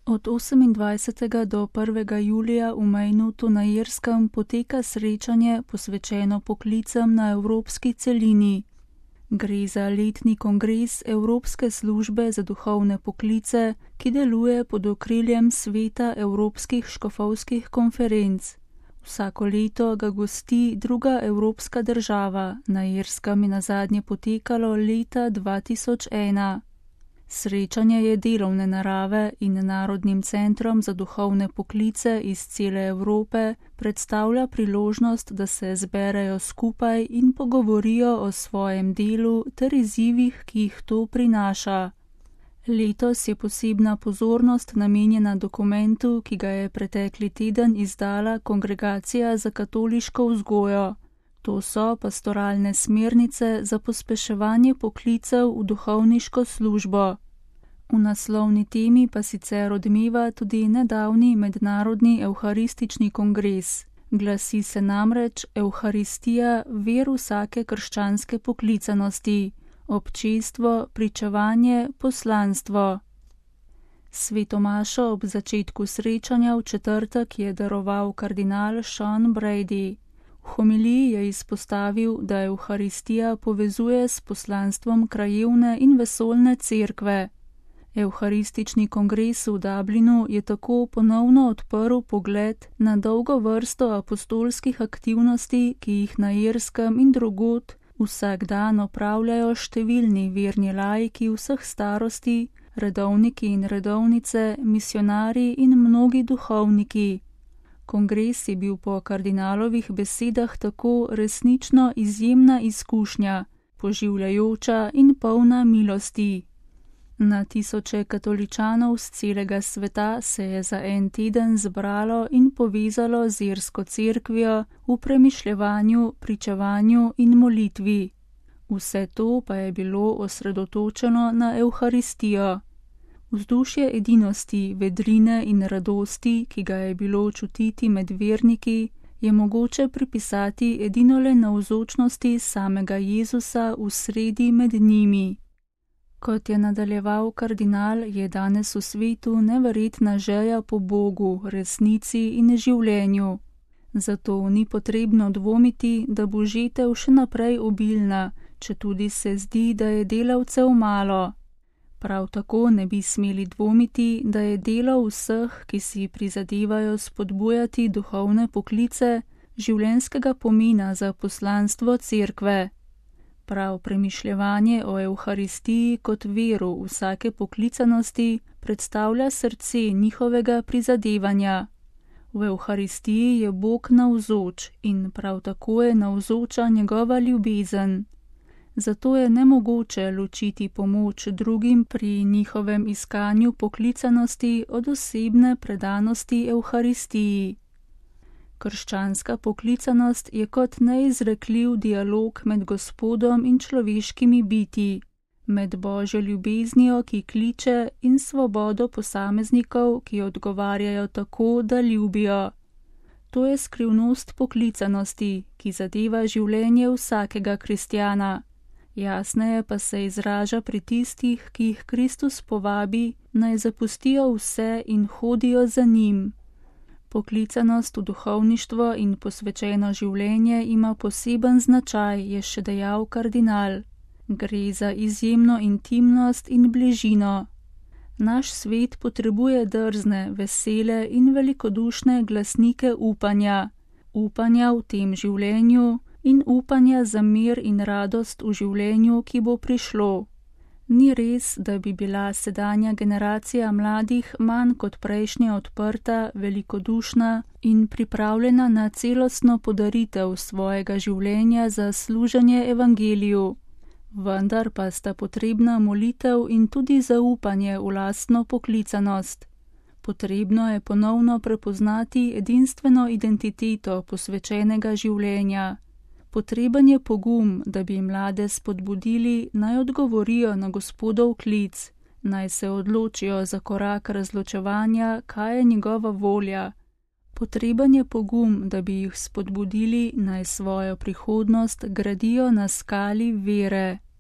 Od 28. do 1. julija v Majnutu na Irskem poteka srečanje posvečeno poklicem na evropski celini. Gre za letni kongres Evropske službe za duhovne poklice, ki deluje pod okriljem Sveta evropskih škofovskih konferenc. Vsako leto ga gosti druga evropska država, na Irskem je nazadnje potekalo leta 2001. Srečanje je delovne narave in Narodnim centrom za duhovne poklice iz cele Evrope predstavlja priložnost, da se zberejo skupaj in pogovorijo o svojem delu ter izzivih, ki jih to prinaša. Letos je posebna pozornost namenjena dokumentu, ki ga je pretekli teden izdala Kongregacija za katoliško vzgojo. To so pastoralne smernice za pospeševanje poklicev v duhovniško službo. V naslovni temi pa sicer odmeva tudi nedavni mednarodni evharistični kongres. Glasi se namreč Evharistija, ver vsake krščanske poklicanosti, občestvo, pričevanje, poslanstvo. Svetomašo ob začetku srečanja v četrtek je daroval kardinal Sean Brady. V homiliji je izpostavil, da Evharistija povezuje s poslanstvom krajevne in vesoljne cerkve. Evharistični kongres v Dublinu je tako ponovno odprl pogled na dolgo vrsto apostolskih aktivnosti, ki jih na Irskem in drugod vsak dan opravljajo številni verni laiki vseh starosti, redovniki in redovnice, misionarji in mnogi duhovniki. Kongres je bil po kardinalovih besedah tako resnično izjemna izkušnja, poživljajoča in polna milosti. Na tisoče katoličanov z celega sveta se je za en teden zbralo in povezalo z irsko cerkvijo v premišljevanju, pričevanju in molitvi. Vse to pa je bilo osredotočeno na Evharistijo. Vzdušje edinosti, vedrine in radosti, ki ga je bilo čutiti med verniki, je mogoče pripisati edinole navzočnosti samega Jezusa v sredi med njimi. Kot je nadaljeval kardinal, je danes v svetu neverjetna želja po Bogu, resnici in življenju. Zato ni potrebno dvomiti, da bo žetev še naprej obilna, četudi se zdi, da je delavcev malo. Prav tako ne bi smeli dvomiti, da je delo vseh, ki si prizadevajo spodbujati duhovne poklice, življenjskega pomena za poslanstvo cerkve. Prav premišljevanje o Evharistiji kot veru vsake poklicanosti predstavlja srce njihovega prizadevanja. V Evharistiji je Bog navzoč in prav tako je navzoča njegova ljubezen. Zato je nemogoče ločiti pomoč drugim pri njihovem iskanju poklicanosti od osebne predanosti Evharistiji. Krščanska poklicanost je kot neizrekljiv dialog med Gospodom in človeškimi bitji, med Božjo ljubeznijo, ki kliče, in svobodo posameznikov, ki odgovarjajo tako, da ljubijo. To je skrivnost poklicanosti, ki zadeva življenje vsakega kristjana. Jasneje pa se izraža pri tistih, ki jih Kristus povabi, naj zapustijo vse in hodijo za njim. Poklicanost v duhovništvo in posvečeno življenje ima poseben značaj, je še dejal kardinal. Gre za izjemno intimnost in bližino. Naš svet potrebuje drzne, vesele in velikodušne glasnike upanja. Upanja v tem življenju in upanja za mir in radost v življenju, ki bo prišlo. Ni res, da bi bila sedanja generacija mladih manj kot prejšnja odprta, velikodušna in pripravljena na celostno podaritev svojega življenja za služenje evangeliju. Vendar pa sta potrebna molitev in tudi zaupanje v lastno poklicanost. Potrebno je ponovno prepoznati edinstveno identiteto posvečenega življenja. Potreben je pogum, da bi mlade spodbudili, naj odgovorijo na Gospodov klic, naj se odločijo za korak razločevanja, kaj je njegova volja. Potreben je pogum, da bi jih spodbudili, naj svojo prihodnost gradijo na skali vere.